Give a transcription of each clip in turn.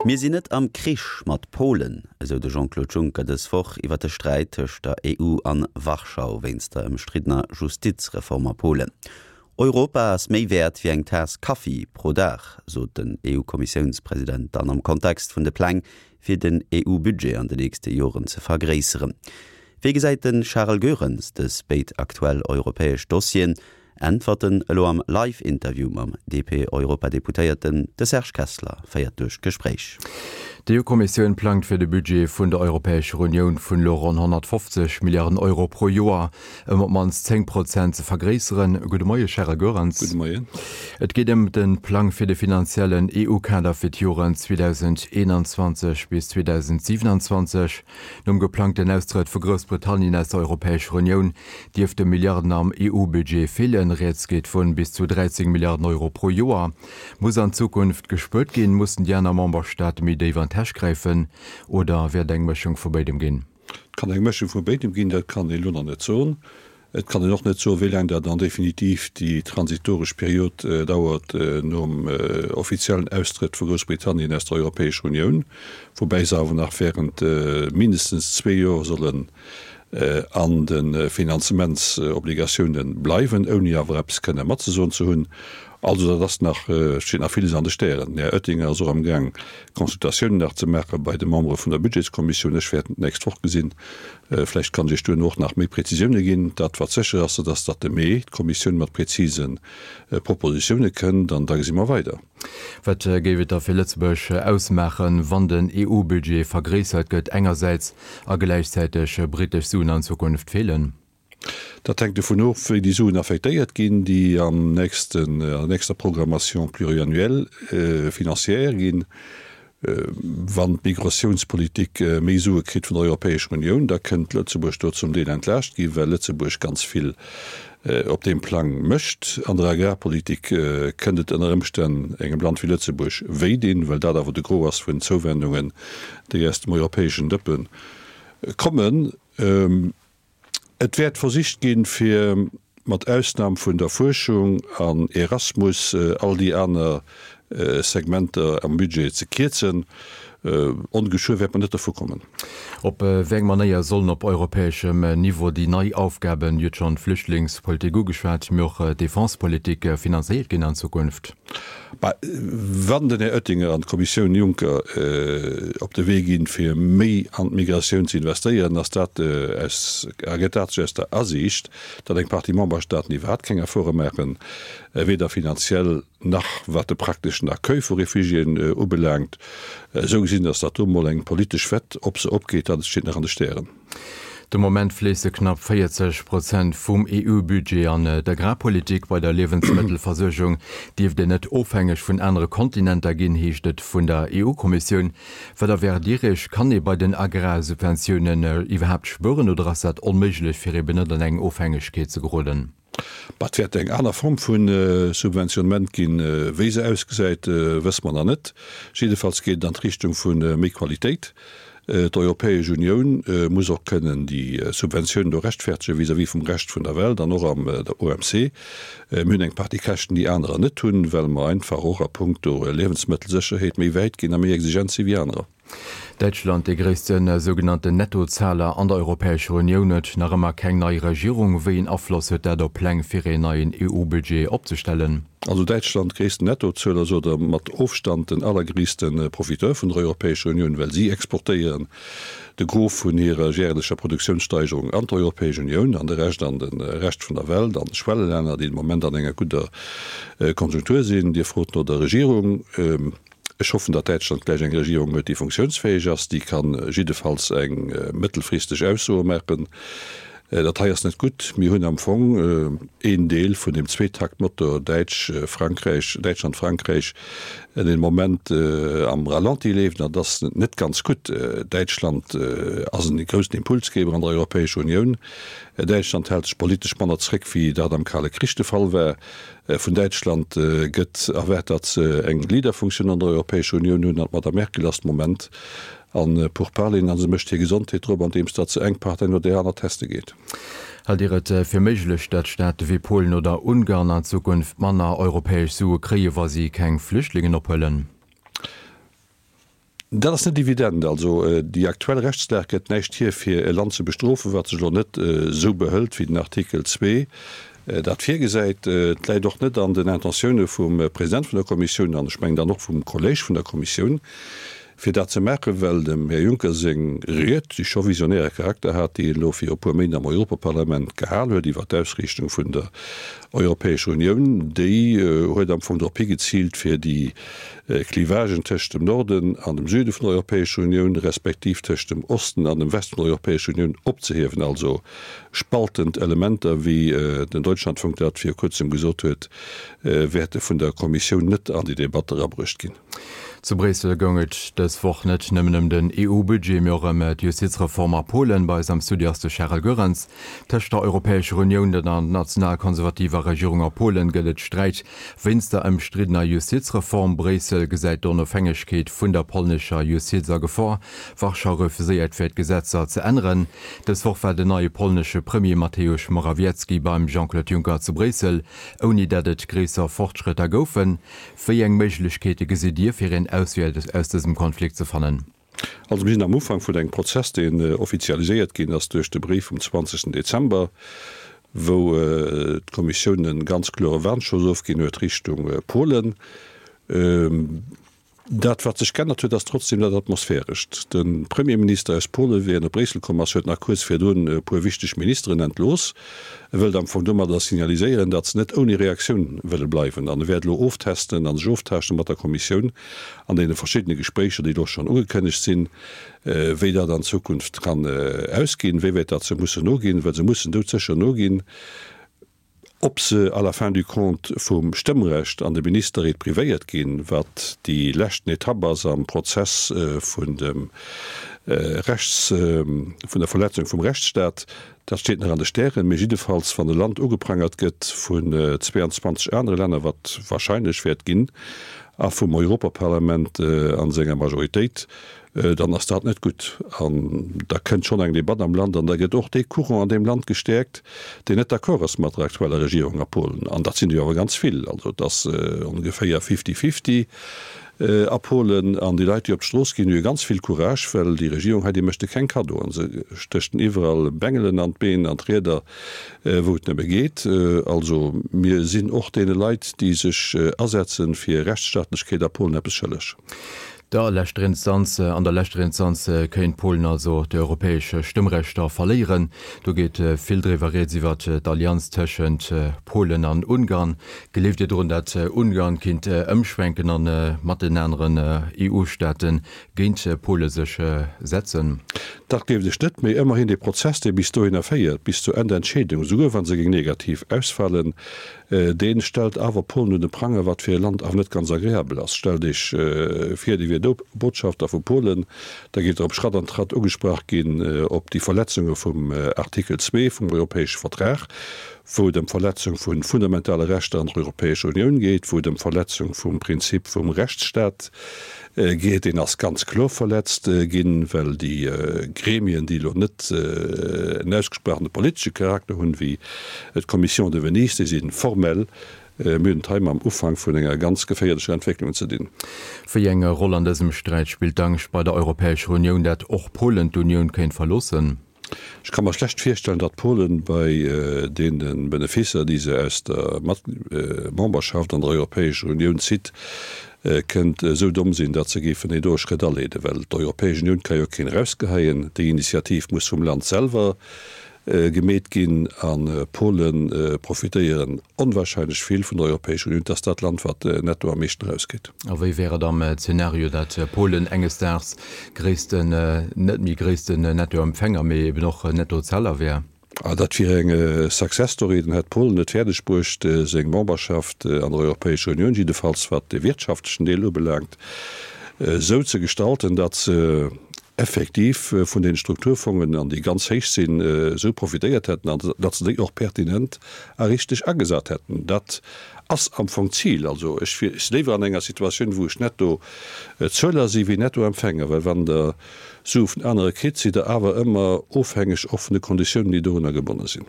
Mir sinn net am Krich mat Polen, esou de Jean-Claude Juncker dës Woch iwwer de Sträit tëscht der EU an Warschau wéinst der ëmstriddener Justizreform a Polen. Europa ass méi wäert wéi eng Taass Kaffi pro Dag, sot den EU-Kommissiounspresident dann am Kontext vun de Pläng, fir den EU-Budget an de nächste Joren ze vergréisseren. Wéi gesäit de Charel Goerens dës béid aktuell europäesch Dossieren? Äntwerten elo am Live-Interview mam DP-Europadeputéierten. De Serge Kessler féiert duerch d'Gespréich. D'EU-Kommissioun plangt fir de Budget vun der Europäescher Unioun vun elo ronn 150 Milliarden Euro pro Joer ëm op d'mannst 10 Prozent ze vergréisseren. Gudde Moie Charel Goerens. Gudde Moien. Et geet ëm de Plang fir de finanziellen EU-Kader fir d'Joren 2021 bis 2027. Nom geplangten Austrëtt vu Groussbritannien aus der Europäescher Unioun dierfte Milliarden am EU-Budget feelen. Rieds geet vun bis zu 13 Milliarden Euro pro Joer. Muss an Zukunft gespuert ginn? Mussen déi aner Memberstaate méi déif an d'Täsch gräifen? Oder wäert eng Mëschung vu béidem ginn? Et kann eng Mëschung vu béidem ginn, dat kann een elo nach net soen. Et kann een och net soen, wéi laang dat dann definitiv déi transitoresch Period dauert nom offiziellen Austrëtt vu Groussbritannien aus der Europäescher Unioun, woubäi se awer nach während mindestens zwee Joer sollen an de Finanzementsobligatiounen bleiwen, ouni awer eppes kënne matzesoen ze hunn. Also dat ass nach, steet nach villes an de Stären. Den Här Oettinger ass och amgaang Consultatiounen nach ze maache bei de Membere vun der Budgetskommissioun. Ech wäert en d'nächst Woch gesinn. Vläicht kann ech Iech duerno och nach méi Prezisioune ginn. Dat wat sécher ass, dat ass, datt de Mee d'Kommissioun mat prezise Propositioune kënnt an da gesi mer weider. Wat géif et da fir Lëtzebuerg ausmaachen, wann den EU-Budget vergréissert gëtt engersäits a gläichzäiteg britesch Suen an Zukunft feelen? Dat hänkt dovun of, wéi déi Suen affektéiert ginn, déi am nächsten, an der nächster Programmation pluriannuelle financière ginn. Wann d'Migratiounspolitik méi Sue kritt vun der Europäescher Unioun, da kënnt Lëtzebuerg do zum Deel entlaascht ginn, well Lëtzebuerg ganz vill op deem Plang mécht. An der Agrarpolitik kënnt et ënner Ëmstänn engem Land wéi Lëtzebuerg wéi dinn, well dat awer de Gros ass vun Zouwendungen, déi aus dem europäeschen Dëppe kommen. Et wäert versicht ginn, fir mat Ausnam vun der Fuerschung an Erasmus all déi aner Segmenter am Budget ze kierzen. Ongeschuer wäert mer net dervu kommen. Op wéi eng Manéier sollen op europäeschem Niveau déi nei Aufgaben, Dir hutt schonn d'Flüchtlingspolitik ugeschwat, mee och d'Defensepolitik, finanzéiert ginn an Zukunft? Mä wann den Här Oettinger an d'Kommissioun Juncker op de Wee ginn, fir méi an d'Migratioun ze investéieren, ass dat aus, ergëtt dat sech aus der Asiicht, datt eng Partie Memberstaaten iwwerhaapt keng Efforte maachen, weder finanziell nach wat de prakteschen Accueil vu Refugiéen ubelaangt. Esou gesinn ass dat do emol eng politesch Wett. Ob se opgeet, dat steet nach an de Stären. De Moment fléisse knapp 40 Prozent vum EU-Budget an d'Agrarpolitik. Bei der Liewensmëttelversuergung dierft een net ofhängeg vun anere Kontinenter ginn, heescht et vun der EU-Kommissioun. Wat erwaart Dir Iech? Kann ee bei den Agrarsubventiounen iwwerhaapt spueren oder ass dat onméiglech, fir eben net an eng Ofhängegkeet ze geroden? Bah, et wäert eng aner Form vu Subventionnement ginn. Wéi se ausgesäit, wësse mer nach net. Jiddefalls geet et an d'Richtung vu méi Qualitéit. D'Europäesch Unioun muss och kënnen déi Subventiounen do rechtfertegen vis-à-vis vum Rescht vun der Welt an och am der OMC. Mir hunn eng Partie Käschten, déi anerer net hunn, well mer einfach och a puncto Liewensmëttelsécherheet méi wäit ginn a méi exigent si wéi anerer. Däitschland, dee gréisste sougenannten Nettozahler an der Europäescher Unioun, huet nach ëmmer keng nei Regierung. Wéi een Afloss huet dat op Pläng fir een neien EU-Budget opzestellen? Also Däitschland, gréissten Nettozueler, ass oder mat Ofstand den allergréisste Profiteur vun der Europäescher Unioun, well si exportéieren de Gros vun hirer järlecher Produktiounssteigerung an d'Europäesch Unioun an de Rescht an de Rescht vun der Welt, an d'Schwellelänner, déi de Moment an enger gudder Konjunktur sinn. Dir frot no der Regierung. Ech hoffen, datt Däitschland gläich eng Regierung huet, déi funktiounsfäeg ass, déi ka jiddefalls eng mëttelfristeg Aussoe maachen. Dat hei ass net gutt. Mir hunn am Fong een Deel vun deem Zweetaktmotor Däitsch, Frankräich, Däitschland, Frankräich, deen de Moment am Ralenti leeft, an dat ass net ganz gutt. Däitschland ass en groussen Impulsgeber an der Europäescher Unioun. Däitschland hält sech politesch manner zréck, wéi dat am Kale Krich de Fall war. Vun Däitschland gëtt erwaart, datt se eng Leaderfunktioun an der Europäescher Unioun hunn, an d'Madame Merkel ass de Moment a Pourparleren a se mécht hir Gesondheet drop, andeems datt se eng Partei no där aner teste geet. Haalt Dir et fir méiglech, datt Staate wéi Polen oder Ungarn an Zukunft manner europäesch Sue kréie wa si keng Flüchtlingen ophuelen? Dat ass net evident. Also déi aktuell Rechtslag gëtt näischt hier, fir e Land ze bestrofen, wat sech elo net esou behëlt, wéi den Artikel 2 dat virgesäit. Et läit och net an den Intentioune vum President vun der Kommissioun an ech mengen dann och vum Kolléeg vun der Kommissioun, fir dat ze maachen, well dem Här Juncker seng Ried, déi scho visionäre Charakter hat, déi en elo viru e puer Méint am Europaparlament gehal huet iwwert d'Ausriichtung vun der Europäescher Unioun, déi huet am Fong drop higeziilt, fir déi Clivagen tëscht dem Norden an dem Süde vun der Europäescher Unioun, respektiv tëscht dem Osten an dem Westen vun der Europäescher Unioun opzehiewen, also spaltend Elementer, wéi den Deutschlandfunk dat viru kuerzem gesot huet, wäerte vun der Kommissioun net an déi Debatt erabruecht ginn. Zu Bréissel goung et dës Woch net nëmmen ëm den EU-Budget, mee och ëm d'Justizreform a Polen. Bei eis am Studio ass de Charel Goerens. Tëscht der Europäescher Unioun, der nationalkonservativer Regierung a Polen gëtt et Sträit wéinst der ëmstriddener Justizreform. Bréissel gesäit d'Onofhängegkeet vun der polnescher Justiz a Gefor. Warschau refuséiert fir d'Gesetzer ze änneren. Dës Woch war den neie polnesche Premier Mateusz Morawiecki beim Jean-Claude Juncker zu Bréissel, ouni datt et gréisser Fortschrëtter goufen. Wéi eng Méiglechkeete gesitt Dir, fir een Auswee aus dësem Konflikt ze fannen? Also mir sinn am Ufank vun engem Prozess, deen offizialiséiert ginn ass duerch de Bréif vum 20. Dezember, wou d'Kommissioun e ganz klore Warnschoss ofginn huet Richtung Polen. Dat, wat sech g'ännert huet, ass trotzdem dat Atmosphärescht. De Premierminister aus Polen, wéi en op Bréissel komm ass, huet nach kuerz virdrun e puer wichteg Ministeren entlooss. E wëllt am Fong domadder signaliséieren, datt se net ouni Reaktioun wëlle bleiwen. An e wäert elo oftesten a sech oftaaschte mat der Kommissioun an deene verschiddene Gespréicher, déi elo schonn ugekënnegt sinn, wéi dat an Zukunft kann ausginn, wéi wäit datt se mussen noginn, well se mussen doudsécher noginn. Ob se à la fin du compte vum Stëmmrecht an de Ministerreet privéiert ginn, wat déi leschten Etapp ass am Prozess vun dem Rechts, vun der Verletzung vum Rechtsstaat, dat steet nach an de Stären. Mee jiddefalls, wann e Land ugeprangert gëtt vun 22 anere Länner, wat wahrscheinlech wäert ginn, a vum Europaparlament a senger Majoritéit, dann ass dat net gutt. An da kënnt schonn eng Debatt am Land an da gëtt och dee Courant an deem Land gestäerkt, deen net d'accord ass mat der aktueller Regierung a Polen. An dat sinn der jo awer ganz vill. Also et ass ongeféier fifty-fifty a Polen. An déi Leit, déi op d'Strooss ginn, hu jo ganz vill Courage, well déi Regierung hei, déi mécht de keng Kaddoen. Se stécht den iwwerall Bengelen an d'Been, an d'Rieder, wou et nëmme geet. Also mir sinn och deene Leit, déi sech asetze fir Rechtsstaatlechkeet a Polen, eppes schëlleg. Der leschter Instanz, An der leschter Instanz kéint Polen also d'europäesch Stëmmrechter verléieren. Do geet vill driwwer rieds iwwer d'Allianz tëschent Polen an Ungarn. Gleeft Dir drun, datt Ungarn kinnt ëmschwenken a mat den aneren EU-Staate géint Pole sech setzen? Dat gleeft ech net, mee ëmmerhin dee Prozess, dee bis dohinner féiert, bis zur Endentscheedung, esouguer wa se géing negativ ausfalen, Dee stellt awer Polen un de Pranger, wat fir e Land awer net ganz agreabel ass. Stellt Iech vir, Dir wiert Botschafter vu Polen, da gitt Der op Schratt an Tratt ugesprach ginn op déi Verletzunge vum Artikel 2 vum europäesche Vertrag, wou et ëm d'Verletzung vu fundamentale Rechter an der Europäescher Unioun geet, wou et ëm d'Verletzung vum Prinzip vum Rechtsstaat geet, deen ass ganz kloer verletzt ginn, well déi Gremien, déi elo net en ausgesprochene politesche Charakter hunn, wéi d'Commission de Venise, déi si formell. Mir hunn et hei mam Ufank vun enger ganz geféierlecher Entwécklung ze dinn. Wéi eng Roll an dësem Sträit spillt d'Angscht bei der Europäescher Unioun, dat och Polen d'Unioun kéint verloossen? Ech ka mer schlecht virstellen, datt Polen bei deene Benefisser, déi se aus der Memberschaft an der Europäescher Unioun zitt, kënnt esou domm sinn, datt se géifen deen doe Schrëtt aleeden. Well d'Europäesch Unioun ka jo keen erausgeheien. Déi Initiativ muss vum Land selwer gemeet ginn. A Pole profitéieren onwahrscheinlech vill vun der Europäescher Unioun. Et ass dat Land, wat netto am meeschten erauskritt. A wéi wär et am Zeenario, datt Polen enges Daags gréissten, net méi gréissten Nettoempfänger, mee eben och Nettozeller wär? Dat wier eng Success Story. Dann hätt Polen et fäerdeg bruecht, seng Memberschaft an der Europäescher Unioun, jiddefalls wat de wirtschaftlechen Deel ubelaangt, esou ze gestalten, datt se effektiv vun den Strukturfongen, an déi ganz héich sinn, esou profitéiert hätten an datt se déi och pertinent a richteg agesat hätten. Dat ass am Fong d'Zil. Also ech si léiwer an enger Situatioun, wou ech netto Zueler si wéi netto Empfänger, well wann Der. Sue vun anere kritt, sidd Der awer ëmmer ofhängeg och vun de Konditiounen, déi dorunner gebonne sinn.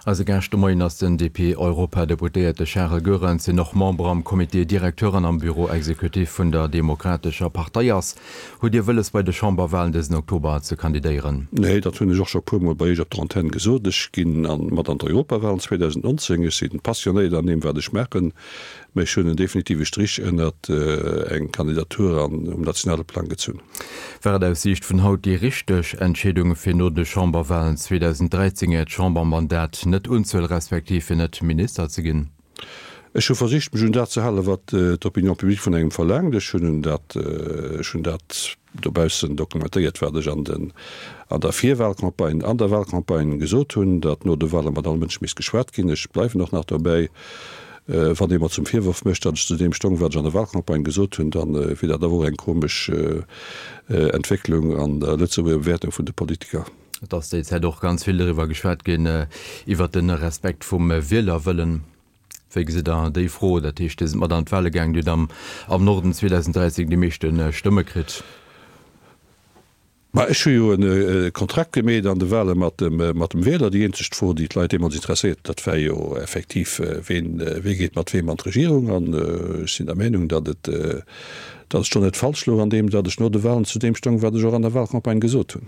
Eise Gaascht de Moien ass den DP-Europadeputéierte Charel Goerens, deen och Member am Comité directeur an am Bureau exécutif vun der Demokratescher Partei ass. Hutt Dir wëlles bei de Chamberwahlen dësen Oktober ze kandidéieren? Nee, dat hunn ech och scho puermol bei Iech op der Antenn gesot. Ech ginn mat an d'Europawahlen 2019. Ech si passionéiert an deem wat ech maachen, mä ech hunn en definitive Strich ënnert eng Kandidatur an um nationale Plang gezunn. War et aus Siicht vun haut déi richteg Entscheedung fir no de Chamberwahlen 2013 Äert Chambermandat net unzehuelen, respektiv fir net Minister ze ginn? Ech hu versicht, mech un dat ze halen, wat d'Opinion publique vun engem verlaangt. Ech hunn un dat, ech hunn dat dobaussen dokumentéiert, wat ech an den, an der Virwahlcampagne, an der Wahlcampagne gesot hunn, datt no de Wahle mat all Mënsch misst geschwat ginn. Ech bleiwen och nach dobäi. Wann ee mer zum Virworf mécht, datt ech zu deem stong, wat ech an der Wahlcampagne gesot hunn, da wier dat awer och eng komesch Entwécklung an der Lëtzebuerger Bewäertung vun de Politiker. Et ass déi Zäit och ganz vill doriwwer geschwat ginn, iwwert de Respekt vum Wielerwëllen. Wéi gesitt Der déi Fro? Dat heescht, Dir sidd mat an d'Wahle gaangen, Dir hutt am am Norden 2013 déi meeschte Stëmme kritt. Ma ech hu jo e Kontrakt gemeet an de Wahle mat dem mat dem Wieler. Déi eenzeg Fro, déi d'Leit deemools interesséiert huet, dat war jo effektiv, ween wee geet mat weem an d'Regierung? An ech sinn der Meenung, datt et Datt ech do net falsch louch an deem, datt ech no de Wahlen zu deem stoung, wat ech och an der Wahlcampagne gesot hunn.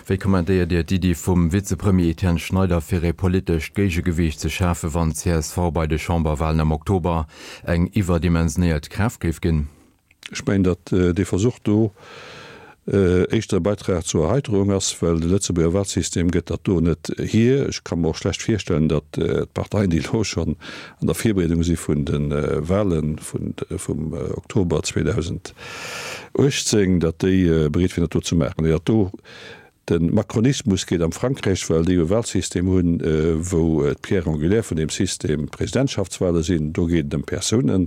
Wéi kommentéiert Dir d'Iddi vum Vizepremier Etienne Schneider, fir ee politescht Géigegewiicht ze schafen, wann csv bei de Chamberwahlen am Oktober eng iwwerdimensionéiert Kraaft géif ginn? Ech mengen, datt dee Versuch do éischter e Beitrag zur Erheiterung ass, well de Lëtzebuerger Wahlsystem gëtt dat do net hier. Ech ka mer och schlecht virstellen, datt d'Parteien, déi elo schonn an der Virbereedung si vun de Wahle vum Oktober 2018, datt déi bereet wieren, dat do ze maachen. Dat do, de Macronismus geet am Frankräich, well déi e Wahlsystem hunn, wou d'Pierre angulaire vun deem System d'Presidentschaftswahle sinn. Do geet et ëm Persounen.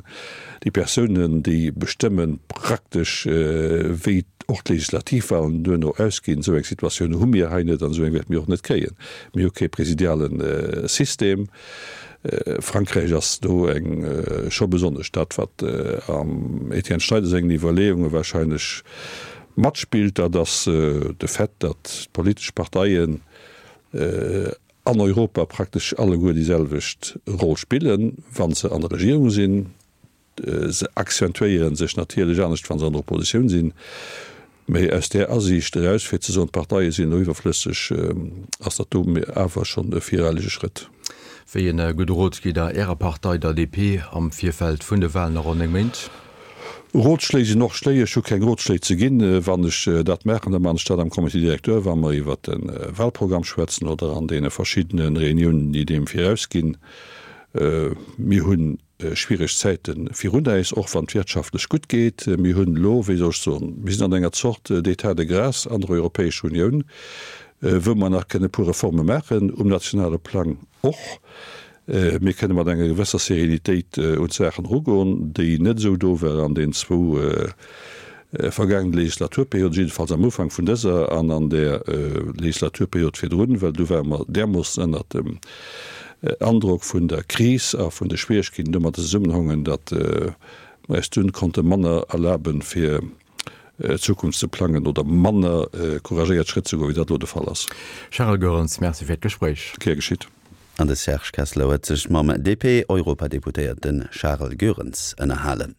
Déi Persounen, déi bestëmme praktesch, wéi och d'Legislativwahlen duerno ausginn. Esou eng Situatioun hu mir hei net an esou eng wäerte mir och net kréien. Mir hu kee presidiale System. Frankräich ass do eng scho besonnesch. Dat wat am Etienne Schneider sengen Iwwerleeunge wahrscheinlech matspillt, dat ass de Fait, datt d'politesch Parteien an Europa praktesch alleguer déi selwecht Roll spillen, wa se an der Regierung sinn. Se accentuéiere sech natierlech anescht, wa se an der Oppositioun sinn. Mee aus där Asiicht eraus, fir ze soen, d'Parteie sinn elo iwwerflësseg, ass dat do awer schonn e vireilege Schrëtt. Wéi e gudde Rot gitt Der Ärer Partei, der DP, am Virfeld vun de Walen a ronn 9 Méint? Rotschléi sinn och Schléi. Ech hu keng Rotschléi ze ginn. Wann ech dat maachen, da maachen ech dat am Comité directeur, wa mer iwwert de Walprogramm schwätzen oder an deene verschiddene Reuniounen, déi deem virausginn. Mir hunn schwiereg Zäite virun äis, och wann et wirtschaftlech gutt geet. Mir hunn elo, wéi soll ech soen, mir sinn an enger Zort d'état de grâce an der Europäescher Unioun, wou mer nach kënne e puer Reforme maachen, um nationale Plang och. Mir kënne mat enger gewësser Sérénitéit un d'Saachen erugoen, déi net esou do war an den zwou vergaangene Legislaturperiod, jiddefalls am Ufank vun dëser an an där Legislaturperiod virdrun, well du ware mer därmoossen ënnert dem Androck vun der Kris a vun de Schwieregkeeten domadder zesummenhongen, datt mer eis dunn konnte manner erlaben, fir d'Zukunft ze plangen oder manner couragéiert Schrëtt ze goen, wéi dat elo de Fall ass. Charel Goerens, Merci fir d'Gespréich. Gär geschitt. An de Serge Kessler huet sech mam DP-Europadeputéierte Charel Goerens ënnerhalen.